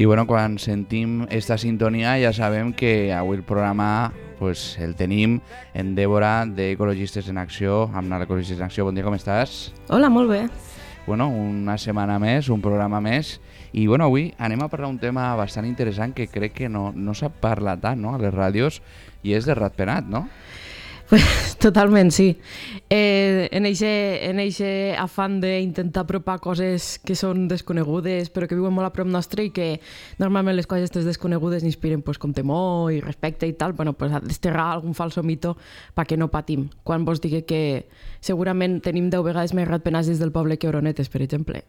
I bueno, quan sentim esta sintonia ja sabem que avui el programa pues, el tenim en Débora d'Ecologistes en Acció, amb l'Ecologistes en Acció. Bon dia, com estàs? Hola, molt bé. Bueno, una setmana més, un programa més. I bueno, avui anem a parlar un tema bastant interessant que crec que no s'ha parlat tant, no?, a les ràdios, i és de ratpenat, no? Totalment, sí. En eixe afany d'intentar apropar coses que són desconegudes però que viuen molt a prop nostre i que normalment les coses desconegudes inspiren pues, com temor i respecte i tal, bueno, pues, desterrar algun falso mito perquè no patim. Quan vos digui que segurament tenim 10 vegades més ratpenats des del poble que oronetes, per exemple.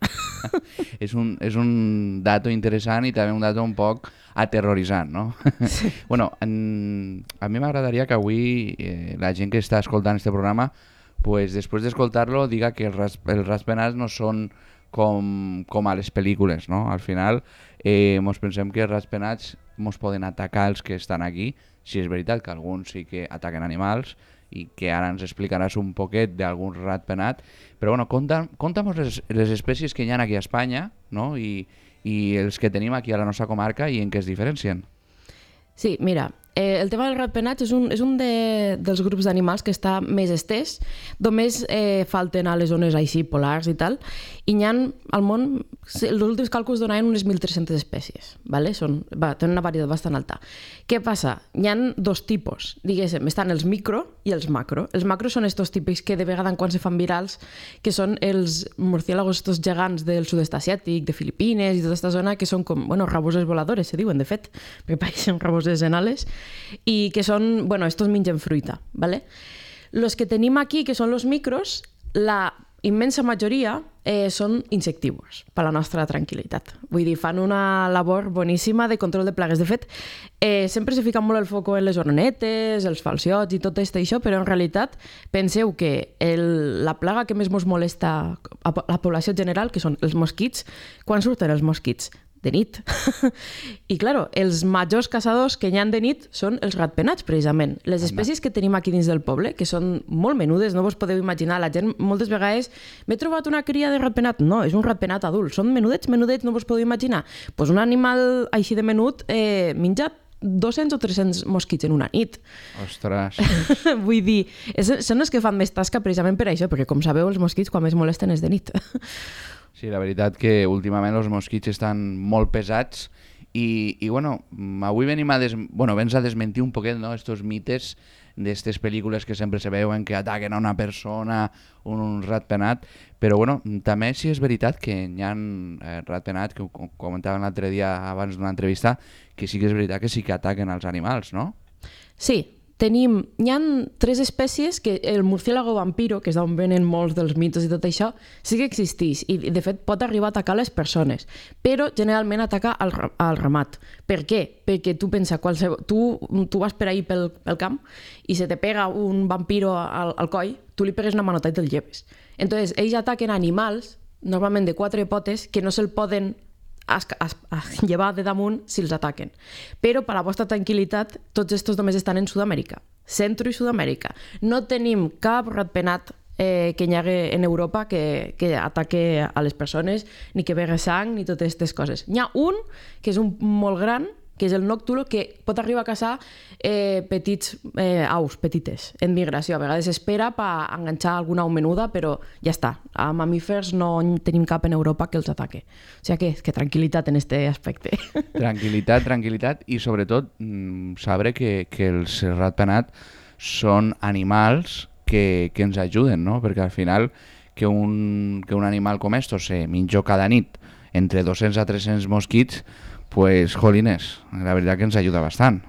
És un dato interessant i també un dato un poc aterroritzant, no? Sí. Bueno, a mi m'agradaria que avui la gent que està escoltant este programa, pues, després d'escoltar-lo, diga que els ratpenats no són com a les pel·lícules, no? Al final, mos pensem que els ratpenats mos poden atacar els que estan aquí, si és veritat que alguns sí que ataquen animals i que ara ens explicaràs un poquet d'algun ratpenat, però bueno, conta'm les espècies que hi ha aquí a Espanya, no? I els que tenim aquí a la nostra comarca i en què es diferencien. Sí, mira, el tema dels ratpenats és un dels grups d'animals que està més estès, només falten a les zones així polars i tal, i n'hi ha al món, els últims càlculs donaven unes 1.300 espècies, ¿vale? Tenen una varietat bastant alta. Què passa? N'hi ha dos tipus, diguéssim, estan els micro i els macro. Els macro són estos típics que de vegada en quan se fan virals, que són els murciélagos estos gegants del sud-est asiàtic, de Filipines i tota aquesta zona, que són com, bueno, raboses voladores, se diuen, de fet, perquè pareixen raboses en ales, i que són, bueno, estos mengen fruita, ¿vale? Los que tenim aquí, que són los micros, la immensa majoria són insectívors, per la nostra tranquil·litat. Vull dir, fan una labor boníssima de control de plagues. De fet, sempre se fica molt el foco en les oronetes, els falciots i tot això, però en realitat penseu que la plaga que més mos molesta a la població general, que són els mosquits, quan surten els mosquits? De nit. I, clar, els majors caçadors que hi ha de nit són els ratpenats, precisament. Les espècies que tenim aquí dins del poble, que són molt menudes, no vos podeu imaginar. La gent moltes vegades, m'he trobat una cria de ratpenat. No, és un ratpenat adult. Són menudets, no vos podeu imaginar. Pues un animal així de menut menja 200 o 300 mosquits en una nit. Ostres! Vull dir, són els que fan més tasca precisament per això, perquè, com sabeu, els mosquits quan més molesten és de nit. Sí, la veritat que últimament els mosquits estan molt pesats i bueno, avui vens a desmentir un poquet, no?, estos mites d'estes pel·lícules que sempre se veuen que ataquen a una persona, un ratpenat, però bueno, també sí és veritat que hi ha ratpenats, que ho comentaven l'altre dia abans d'una entrevista, que sí que és veritat que sí que ataquen als animals, no? Sí. Hi ha 3 espècies que el murciélago vampiro, que és d'on venen molts dels mitos i tot això, sí que existeix i de fet pot arribar a atacar les persones, però generalment ataca al ramat. Per què? Perquè tu pensa, tu vas per ahí pel camp i se te pega un vampiro al coll, tu li pegues una manota i te'l lleves. Entonces, ells ataquen animals, normalment de 4 potes, que no se'l poden a llevar de damunt si els ataquen. Però per a la vostra tranquil·litat, tots estos només estan en Sud-amèrica, Centro i Sud-amèrica. No tenim cap ratpenat que hi hagi en Europa que ataque a les persones, ni que begue sang, ni totes aquestes coses. N'hi ha un, que és un molt gran, que és el noctulo, que pot arribar a caçar petits aus, petites, en migració. A vegades espera per enganxar alguna au menuda, però ja està. A mamífers no tenim cap en Europa que els ataque. O sigui que tranquil·litat en aquest aspecte. Tranquil·litat i sobretot saber que els ratpenats són animals que ens ajuden, no? Perquè al final que un animal com estos se menja cada nit entre 200 a 300 mosquits, pues, jolines, la veritat que ens ajuda bastant.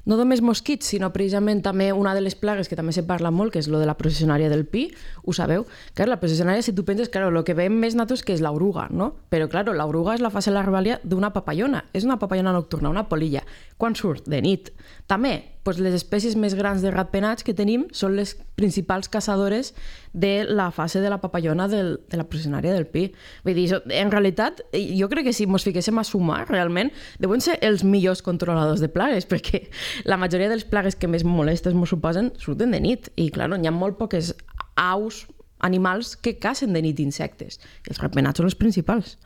No només mosquits, sinó precisament també una de les plagues que també se parla molt, que és lo de la processionària del pi, ho sabeu? Clar, la processionària, si tu penses, claro, lo que veiem més natos que és l'oruga, no? Però, claro, l'oruga és la fase larvalia d'una papallona, és una papallona nocturna, una polilla. Quan surt? De nit. També, doncs les espècies més grans de ratpenats que tenim són les principals caçadores de la fase de la papallona de la processionària del pi. Vull dir, en realitat, jo crec que si ens fiquéssim a sumar, realment, deuen ser els millors controladors de plagues, perquè la majoria de les plagues que més molestes ens suposen surten de nit. I, clar, hi ha molt poques aus, animals que cacen de nit insectes. I els ratpenats són els principals.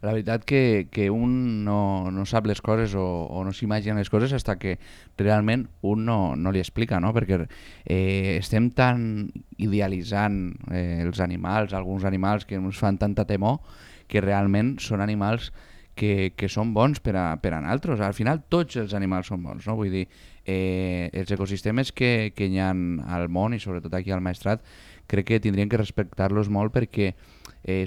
la veritat que un no sap les coses o no s'imagina les coses fins que realment un no li explica, no? Perquè estem tan idealitzant els animals, alguns animals que ens fan tanta temor, que realment són animals que són bons per a nosaltres. Al final tots els animals són bons, no? Vull dir, els ecosistemes que hi ha al món i sobretot aquí al Maestrat crec que tindrien que respectar-los molt perquè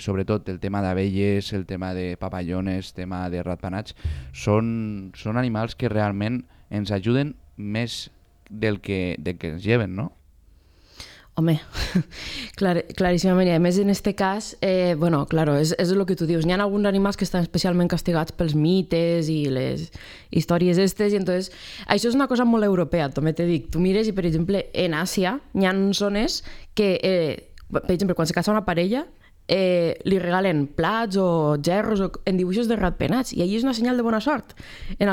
sobretot el tema d'abelles, el tema de papallones, tema de ratpenats, són animals que realment ens ajuden més del que ens lleven, no? Home, claríssimament. I a més, en aquest cas, bueno, claro, és el que tu dius. Hi ha alguns animals que estan especialment castigats pels mites i les històries estes, i entonces això és una cosa molt europea, també t'he dit. Tu mires i, per exemple, en Àsia hi ha zones que, per exemple, quan se casa una parella, li regalen plats o gerros en dibuixos de ratpenats, i allí és una senyal de bona sort. En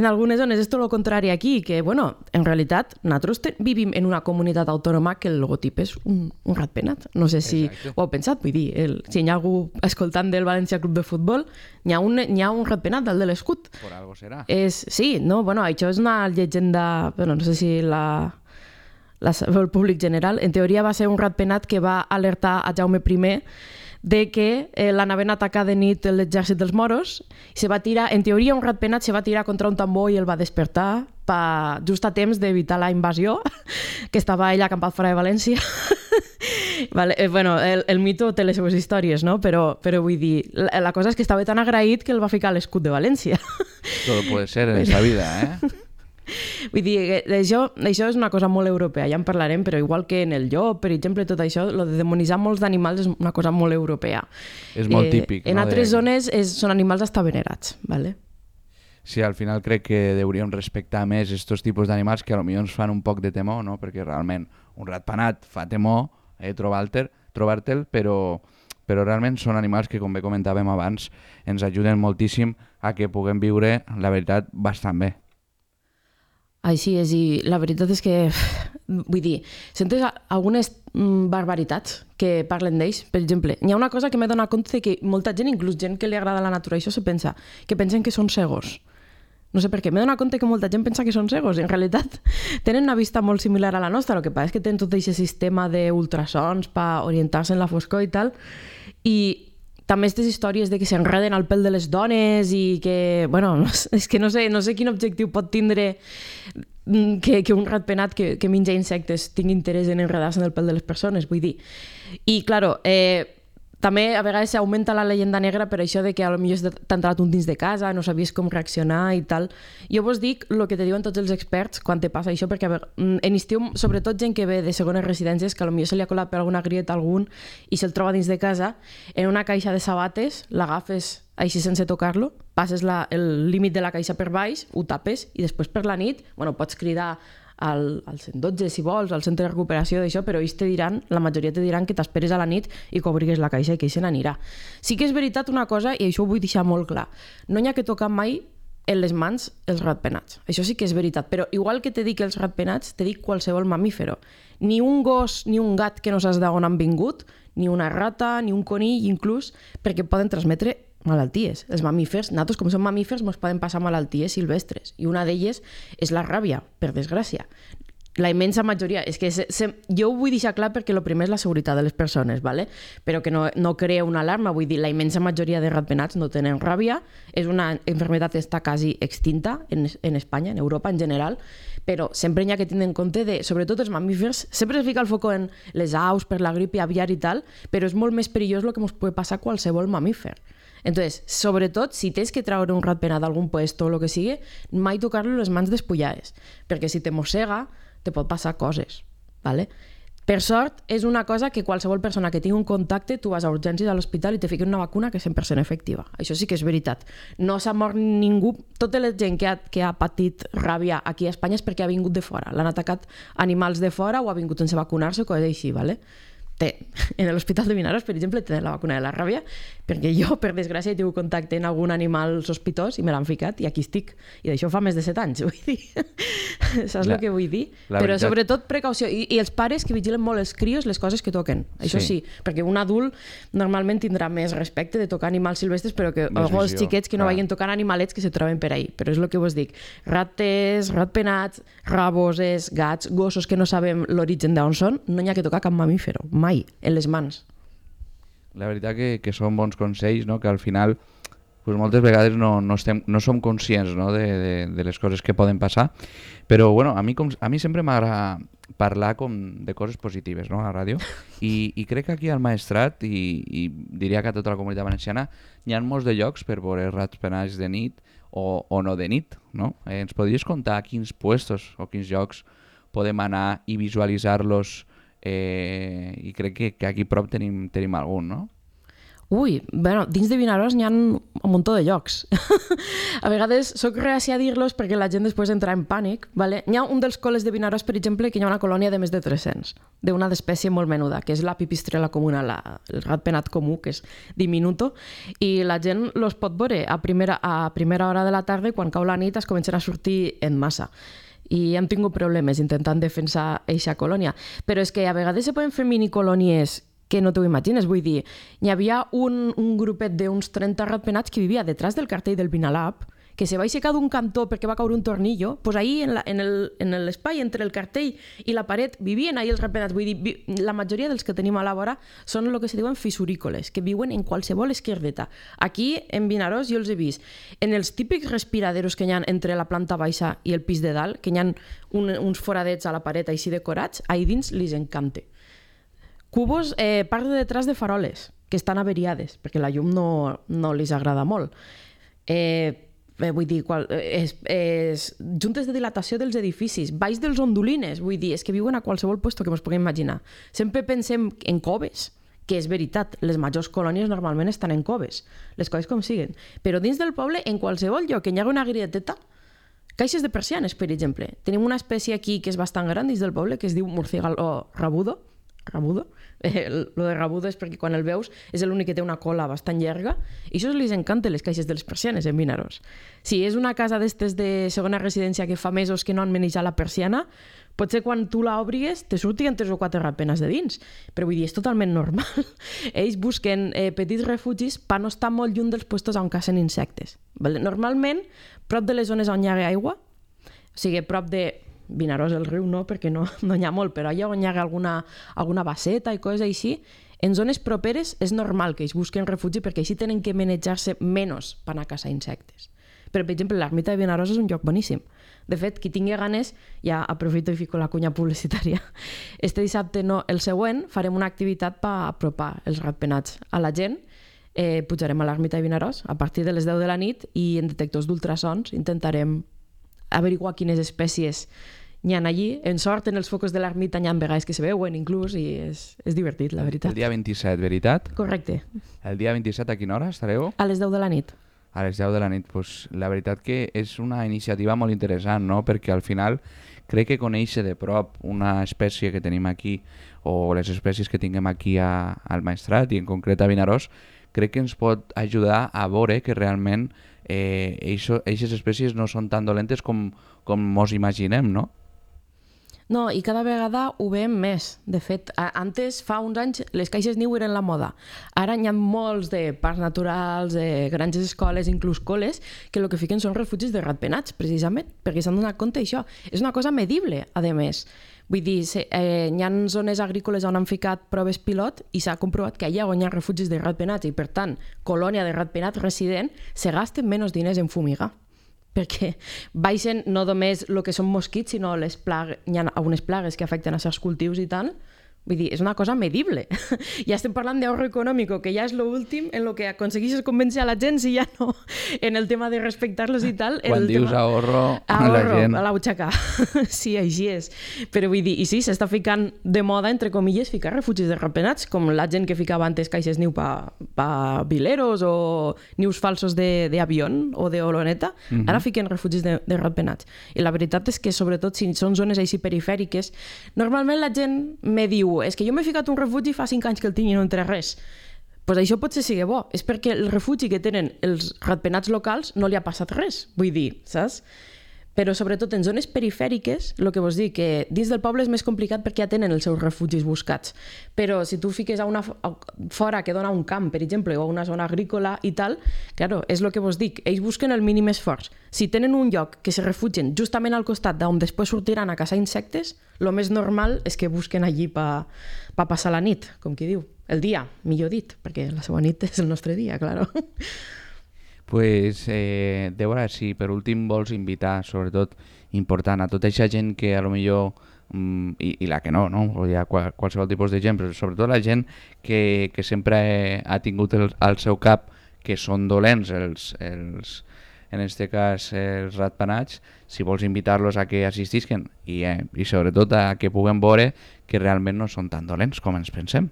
algunes zones és tot el contrari aquí, que, bueno, en realitat nosaltres vivim en una comunitat autònoma que el logotip és un ratpenat. No sé si ho heu pensat, vull dir, si hi ha algú escoltant del València Club de Futbol, hi ha un ratpenat dalt de l'escut. Por algo serà. Sí, no? Bueno, això és una llegenda, bueno, no sé si el públic general. En teoria va ser un ratpenat que va alertar a Jaume I de que l'anaven a atacar de nit l'exèrcit dels moros, i se va tirar, en teoria un ratpenat se va tirar contra un tambor i el va despertar just a temps d'evitar la invasió, que estava ell acampat fora de València. Vale, bueno, el mito té les seves històries, no? Però vull dir, la cosa és que estava tan agraït que el va ficar a l'escut de València. Todo puede ser en esta vida, eh? Vull dir, això és una cosa molt europea, ja en parlarem, però igual que en el llop, per exemple, tot això, lo de demonitzar molts d'animals és una cosa molt europea. És molt típic, en no? altres zones són animals hasta venerats, ¿vale? Sí, al final crec que hauríem respectar més estos tipus d'animals que potser ens fan un poc de temor, no? Perquè realment un ratpenat fa temor trobar-te'l, però realment són animals que, com bé comentàvem abans, ens ajuden moltíssim a que puguem viure, la veritat, bastant bé. Així és, i la veritat és que, vull dir, sentes algunes barbaritats que parlen d'ells. Per exemple, hi ha una cosa que m'he donat compte que molta gent, inclús gent que li agrada la natura, això se pensa, que pensen que són cegos. No sé per què, m'he donat compte que molta gent pensa que són cegos, i en realitat tenen una vista molt similar a la nostra, el que passa és que tenen tot aquest sistema d'ultrasons per orientar-se en la foscor i tal, i també aquestes històries de que s'enreden al pèl de les dones i que, bueno, és que no sé quin objectiu pot tindre que un ratpenat que menja insectes tingui interès en enredar-se en el pèl de les persones, vull dir. I, claro, també a vegades s'augmenta la llegenda negra per això de que potser t'ha entrat un dins de casa, no sabies com reaccionar i tal. Jo vos dic el que te diuen tots els experts quan te passa això, perquè en estiu, sobretot gent que ve de segones residències, que potser se li ha colat per alguna grieta a algun i se'l troba dins de casa, en una caixa de sabates, l'agafes així sense tocar-lo, passes el límit de la caixa per baix, ho tapes i després per la nit, bueno, pots cridar al 112 si vols, al centre de recuperació d'això, però ells te diran, la majoria te diran que t'esperes a la nit i que obrigues la caixa i que se n'anirà. Sí que és veritat una cosa, i això ho vull deixar molt clar, no hi ha que tocar mai en les mans els ratpenats. Això sí que és veritat, però igual que te dic els ratpenats, te dic qualsevol mamífero. Ni un gos ni un gat que no saps d'on han vingut, ni una rata, ni un conill, inclús, perquè poden transmetre malalties. Els mamífers, nosaltres com som mamífers, ens poden passar malalties silvestres, i una d'elles és la ràbia, per desgràcia. La immensa majoria, és que jo ho vull deixar clar perquè el primer és la seguretat de les persones, ¿vale? Però que no crea una alarma, vull dir, la immensa majoria de ratpenats no tenen ràbia, és una enfermedad que està quasi extinta en Espanya, en Europa en general, però sempre hi ha que tenir en compte de, sobretot els mamífers, sempre es fica el foco en les aus per la grip aviar i tal, però és molt més perillós el que ens pot passar a qualsevol mamífer. Entonces, sobretot, si tens que treure un ratpenat d'algun puesto o el que sigui, mai tocar-lo les mans despullades, perquè si te mossega, te pot passar coses, ¿vale? Per sort, és una cosa que qualsevol persona que tingui un contacte, tu vas a urgències a l'hospital i te fiquen una vacuna que és 100% efectiva. Això sí que és veritat. No s'ha mort ningú. Tota la gent que ha patit ràbia aquí a Espanya és perquè ha vingut de fora. L'han atacat animals de fora o ha vingut sense vacunar-se o coses així, ¿vale? En l'Hospital de Vinaròs, per exemple, tenen la vacuna de la ràbia, perquè jo, per desgràcia, he tingut contacte amb algun animal sospitós i me l'han ficat i aquí estic. I d'això fa més de 7 anys, vull dir. Saps el que vull dir? Però sobretot precaució. I els pares que vigilen molt els crios les coses que toquen. Això sí, perquè un adult normalment tindrà més respecte de tocar animals silvestres, però que els xiquets que no vagin tocant animalets que se troben per ahí. Però és el que vos dic. Rates, ratpenats, raboses, gats, gossos que no sabem l'origen d'on són, no n'hi ha que tocar cap mamífero, mai, en les mans. La veritat que són bons consells, no? Que al final pues moltes vegades no som conscients, no? de les coses que poden passar, però bueno, a mi sempre m'agrada parlar de coses positives, no? A la ràdio, i crec que aquí al Maestrat i diria que a tota la comunitat valenciana hi ha molts de llocs per veure ratpenats de nit o no de nit, no? Ens podries contar quins puestos o quins llocs podem anar i visualitzar-los, i crec que aquí prop tenim algun, no? Ui, bueno, dins de Vinaròs n'hi ha un muntó de llocs. A vegades soc reacia a dir-los perquè la gent després entra en pànic. Vale? N'hi ha un dels col·les de Vinaròs, per exemple, que hi ha una colònia de més de 300, d'una espècie molt menuda, que és la pipistrela comuna, el ratpenat comú, que és diminuto, i la gent los pot veure a primera hora de la tarda, quan cau la nit es comencen a sortir en massa. I hem tingut problemes intentant defensar eixa colònia. Però és que a vegades se poden fer minicolònies que no t'ho imagines, vull dir, hi havia un grupet d'uns 30 ratpenats que vivia detrás del cartell del Vinalab, que se va aixecar d'un cantó perquè va caure un tornillo, doncs ahí en l'espai entre el cartell i la paret vivien ahí els ratpenats. Vull dir, la majoria dels que tenim a la vora són el que se diuen fissurícoles, que viuen en qualsevol esquerdeta. Aquí, en Vinaròs, jo els he vist en els típics respiraderos que hi ha entre la planta baixa i el pis de dalt, que hi ha uns foradets a la paret així decorats, ahí dins li encanta. Cubos, part de detrás de faroles, que estan averiades, perquè la llum no li agrada molt. Vull dir, juntes de dilatació dels edificis, baix dels ondulines, vull dir, és que viuen a qualsevol lloc que ens puguem imaginar. Sempre pensem en coves, que és veritat, les majors colònies normalment estan en coves, les coses com siguen. Però dins del poble, en qualsevol lloc que hi hagi una grieteta, caixes de persianes, per exemple. Tenim una espècie aquí que és bastant gran dins del poble, que es diu murciélago rabudo. Lo de rabudo és perquè quan el veus és l'únic que té una cola bastant llarga i això li encanta les caixes de les persianes en Vinaròs. Si és una casa d'estes de segona residència que fa mesos que no han manejat la persiana, potser quan tu l'obrigues te surtin 3 o 4 ratpenats de dins, però vull dir, és totalment normal. Ells busquen petits refugis per no estar molt lluny dels llocs on cacen insectes. Normalment, prop de les zones on hi ha aigua, o sigui, prop de Vinaròs, el riu no, perquè no n'hi ha molt, però allà on hi ha alguna basseta i coses així, en zones properes és normal que ells busquen refugi perquè així tenen que manejar-se menys per anar a caçar insectes. Però, per exemple, l'ermita de Vinaròs és un lloc boníssim. De fet, qui tingui ganes, ja aprofito i fico la cunya publicitària. Este dissabte no, el següent, farem una activitat per apropar els ratpenats a la gent. Pujarem a l'ermita de Vinaròs a partir de les 10 de la nit i en detectors d'ultrasons intentarem averiguar quines espècies n'hi ha allí. En sort, en els focus de l'ermita n'hi ha vegades que se veuen inclús i és divertit, la veritat. El dia 27, veritat? Correcte. El dia 27 a quina hora estareu? A les 10 de la nit. A les 10 de la nit. Pues, la veritat que és una iniciativa molt interessant, no? Perquè al final crec que conèixer de prop una espècie que tenim aquí o les espècies que tinguem aquí al Maestrat i en concret a Vinaròs, crec que ens pot ajudar a veure que realment aquestes espècies no són tan dolentes com mos imaginem, no? No, i cada vegada ho veiem més. De fet, antes, fa uns anys, les caixes niu eren la moda. Ara hi ha molts de parcs naturals, granges escoles, inclús col·les, que el que fiquen són refugis de ratpenats, precisament, perquè s'han donat compte d'això. És una cosa medible, a més. Vull dir, hi ha zones agrícoles on han ficat proves pilot i s'ha comprovat que allà on hi ha refugis de ratpenats i, per tant, colònia de ratpenats resident, se gasten menys diners en fumigar. Perquè baixen no només el que són mosquits, sinó hi ha algunes plagues que afecten a certs cultius i tal. Vull dir, és una cosa medible. Ja estem parlant d'ahorro econòmic, que ja és l'últim en el que aconsegueixes convèncer a la gent, si ja no en el tema de respectar-los i tal. Quan dius ahorro a la gent. A la butxaca. Sí, així és. Però vull dir, i sí, s'està ficant de moda, entre comilles, ficar refugis de ratpenats, com la gent que ficava antes caixes niu pa vileros o nius falsos d'avió o d'oloneta. Ara fiquen refugis de ratpenats. I la veritat és que, sobretot, si són zones així perifèriques, normalment la gent me diu és que jo m'he ficat un refugi fa 5 anys que el tinc i no entra res. pues això potser sigui bo. És perquè el refugi que tenen els ratpenats locals no li ha passat res, vull dir, saps? Però sobretot en zones perifèriques, el que vos dic, que dins del poble és més complicat perquè ja tenen els seus refugis buscats. Però si tu fiques fora que dona un camp, per exemple, o una zona agrícola i tal, claro, és el que vos dic, ells busquen el mínim esforç. Si tenen un lloc que se refugien justament al costat d'on després sortiran a caçar insectes, el més normal és que busquen allí per passar la nit, com qui diu. El dia, millor dit, perquè la seva nit és el nostre dia, claro. Pues, Débora, si per últim vols invitar, sobretot important, a tota aquesta gent que a lo millor, i la que no, o hi ha qualsevol tipus de gent, però sobretot la gent que sempre ha tingut al seu cap que són dolents en este cas els ratpenats, si vols invitar-los a que assistisquen i sobretot a que puguem veure que realment no són tan dolents com ens pensem.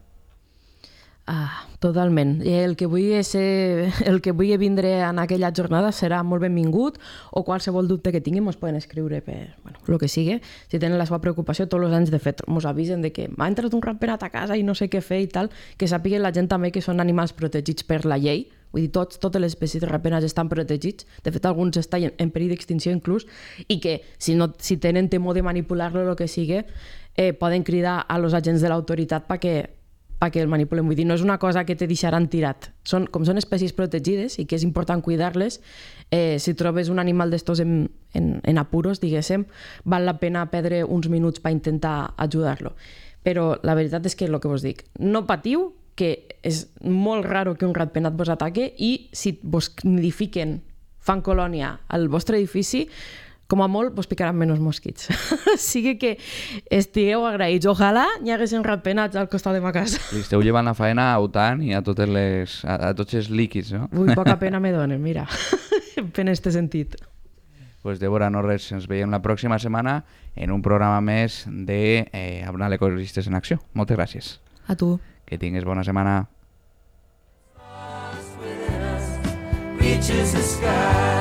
Totalment. El que vulgui vindre en aquella jornada serà molt benvingut, o qualsevol dubte que tinguin ens poden escriure per el que sigui. Si tenen la seva preocupació, tots els anys de fet ens avisen de que m'ha entrat un ratpenat a casa i no sé què fer i tal, que sàpiguen la gent també que són animals protegits per la llei. Vull dir, totes les espècies de ratpenats estan protegits, de fet alguns estan en perill d'extinció inclús, i que si tenen temor de manipular-lo o el que sigui, poden cridar a los agents de l'autoritat perquè el manipulen. Vull dir, no és una cosa que te deixaran tirat. Com són espècies protegides i que és important cuidar-les, si trobes un animal d'estos en apuros, diguéssim, val la pena perdre uns minuts per intentar ajudar-lo. Però la veritat és que el que vos dic, no patiu, que és molt raro que un ratpenat vos ataque, i si vos nidifiquen, fan colònia al vostre edifici, com a molt vos picaran menys mosquits. Sigui que estigueu agraïts. Ojalà hi haguessin ratpenats al costat de ma casa. Li esteu llevant la faena a UTAN i a tots els líquids, no? Ui, poca pena me donen, mira. En este sentit. Pues Débora, no res, ens veiem la pròxima setmana en un programa més de Abnal Ecologistes en Acció. Moltes gràcies. A tu. Que tinguis bona setmana. Reaches the sky.